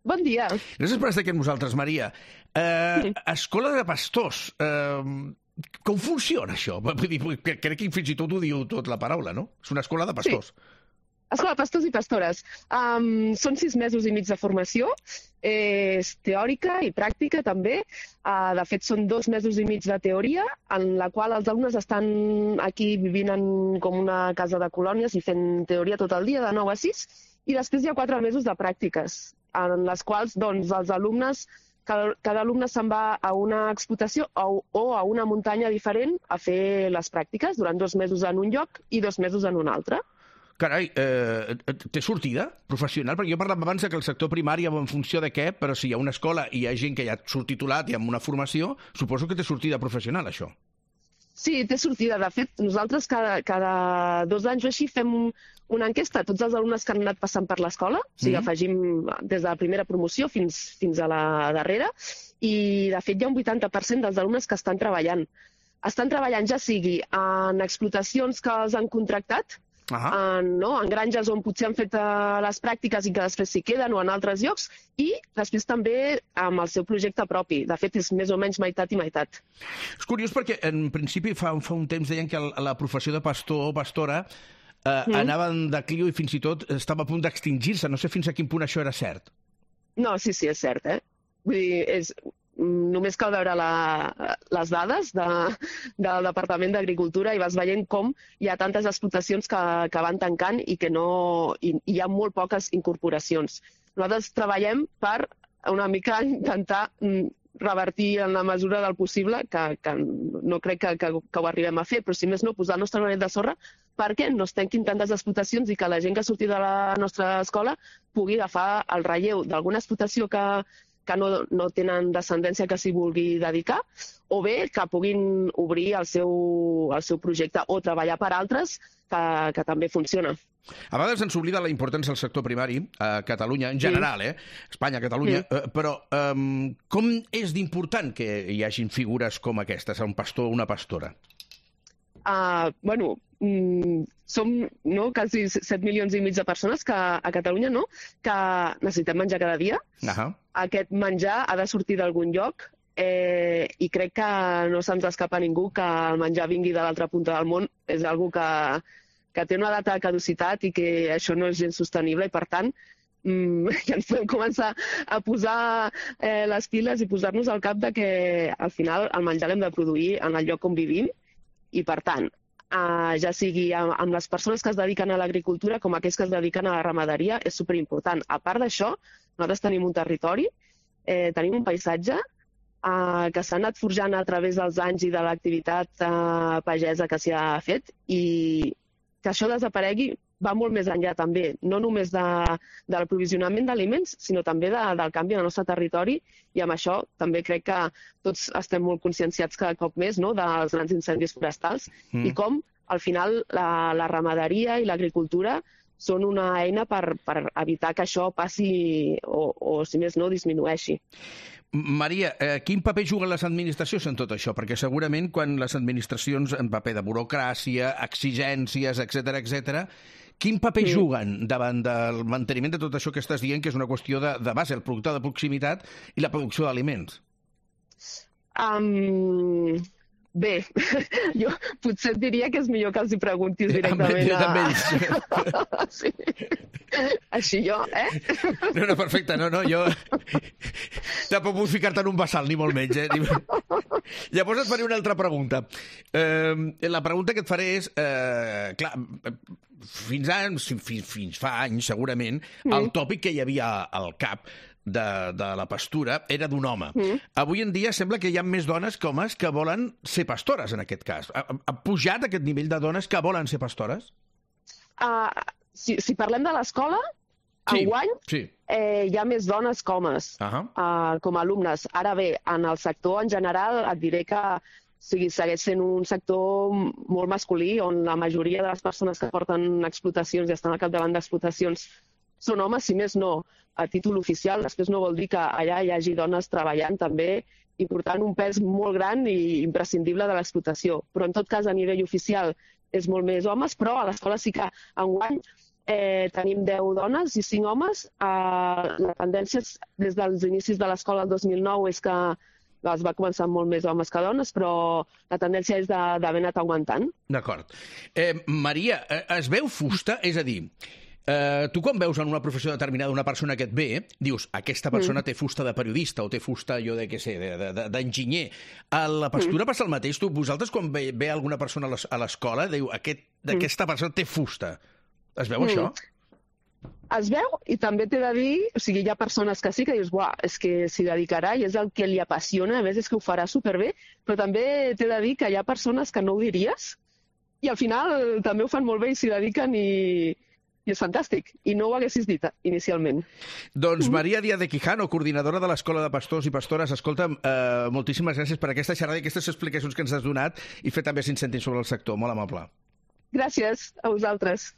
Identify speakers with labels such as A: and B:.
A: Bon dia.
B: Gràcies per estar aquí amb nosaltres, Maria. Escola de pastors. Com funciona això? Vull dir, crec que fins i tot ho diu tot la paraula, no? És una escola de pastors.
A: Sí. Escola de pastors i pastores. Són 6 mesos i mig de formació, és teòrica i pràctica també. De fet, són 2 mesos i mig de teoria, en la qual els alumnes estan aquí vivint en com una casa de colònies i fent teoria tot el dia, de 9 a 6, i després hi ha 4 mesos de pràctiques, en les quals doncs, els alumnes, cada alumne se'n va a una explotació o a una muntanya diferent a fer les pràctiques durant 2 mesos en un lloc i 2 mesos en un altre.
B: Carai, té sortida professional? Perquè jo parlava abans que el sector primari va en funció de què, però si hi ha una escola i hi ha gent que ja surt titulat i amb una formació, suposo que té sortida professional, això.
A: Sí, té sortida. De fet, nosaltres cada 2 anys o així fem una enquesta a tots els alumnes que han anat passant per l'escola, o sigui, afegim des de la primera promoció fins a la darrera, i de fet hi ha un 80% dels alumnes que estan treballant. Estan treballant ja sigui en explotacions que els han contractat, en granges on potser han fet les pràctiques i que després s'hi queden, o en altres llocs, i després també amb el seu projecte propi. De fet, és més o menys meitat i meitat.
B: És curiós perquè, en principi, fa un temps deien que la professió de pastor o pastora anava en decliu i fins i tot estava a punt d'extingir-se. No sé fins a quin punt això era cert.
A: No, sí, és cert, Vull dir, només cal veure les dades del Departament d'Agricultura i vas veient com hi ha tantes explotacions que van tancant i que hi ha molt poques incorporacions. Nosaltres treballem per una mica intentar revertir en la mesura del possible, que no crec que ho arribem a fer, però si més no, posar el nostre granet de sorra perquè no es tanquin tantes explotacions i que la gent que surti de la nostra escola pugui agafar el relleu d'alguna explotació que no tenen descendència que s'hi vulgui dedicar, o bé que puguin obrir el seu projecte o treballar per altres que també funciona.
B: A vegades ens oblida la importància del sector primari a Catalunya, en general, Espanya, Catalunya, però com és d'important que hi hagin figures com aquestes, un pastor o una pastora?
A: Som quasi 7 milions i mig de persones a Catalunya que necessitem menjar cada dia. Aquest menjar ha de sortir d'algun lloc i crec que no se'ns escapa a ningú que el menjar vingui de l'altra punta del món. És una cosa que té una data de caducitat i que això no és gens sostenible i, per tant, ja ens podem començar a posar les piles i posar-nos al cap de que al final el menjar l'hem de produir en el lloc on vivim i, per tant, ja sigui amb les persones que es dediquen a l'agricultura com aquells que es dediquen a la ramaderia, és superimportant. A part d'això, nosaltres tenim un territori, tenim un paisatge que s'ha anat forjant a través dels anys i de l'activitat pagesa que s'hi ha fet, i que això desaparegui va molt més enllà també, no només del provisionament d'aliments, sinó també del canvi en el nostre territori, i amb això també crec que tots estem molt conscienciats cada cop més dels grans incendis forestals i com al final la ramaderia i l'agricultura són una eina per evitar que això passi o si més no, disminueixi.
B: Maria, quin paper juguen les administracions en tot això? Perquè segurament quan les administracions en paper de burocràcia, exigències, etc., quin paper juguen davant del manteniment de tot això que estàs dient, que és una qüestió de base, el producte de proximitat i la producció d'aliments?
A: Bé, jo potser et diria que és millor que els hi preguntis directament
B: a ells.
A: Sí. Així jo,
B: No, perfecte, jo tampoc vull ficar-te en un bassal, ni molt menys, Llavors et faré una altra pregunta. La pregunta que et faré és, clar, fins fa anys, segurament, el tòpic que hi havia al cap de la pastura era d'un home. Avui en dia sembla que hi ha més dones que homes que volen ser pastores, en aquest cas. Ha pujat aquest nivell de dones que volen ser pastores?
A: Si parlem de l'escola, enguany hi ha més dones que homes com a alumnes. Ara bé, en el sector en general et diré que segueix sent un sector molt masculí, on la majoria de les persones que porten explotacions i estan al capdavant d'explotacions són homes, si més no, a títol oficial. Després no vol dir que allà hi hagi dones treballant també i portant un pes molt gran i imprescindible de l'explotació. Però en tot cas, a nivell oficial és molt més homes, però a l'escola sí que enguany tenim 10 dones i 5 homes. La tendència des dels inicis de l'escola el 2009 és que es va començar molt més homes que dones, però la tendència és d'haver anat augmentant.
B: D'acord. Maria, es veu fusta? És a dir, tu quan veus en una professió determinada una persona que et ve, dius, aquesta persona té fusta de periodista o té fusta, jo de què sé, d'enginyer. A la pastura passa el mateix? Vosaltres quan ve alguna persona a l'escola, diu, aquesta persona té fusta. Es veu això?
A: Es veu i també t'he de dir, o sigui, hi ha persones que sí que dius, buah, és que s'hi dedicarà i és el que li apassiona, a més és que ho farà superbé, però també t'he de dir que hi ha persones que no ho diries i al final també ho fan molt bé i s'hi dediquen i és fantàstic. I no ho haguessis dit inicialment.
B: Doncs Maria Díaz de Quijano, coordinadora de l'Escola de Pastors i Pastores, escolta, moltíssimes gràcies per aquesta xerrada i aquestes explicacions que ens has donat i fer també 5 cèntims sobre el sector. Molt amable.
A: Gràcies a vosaltres.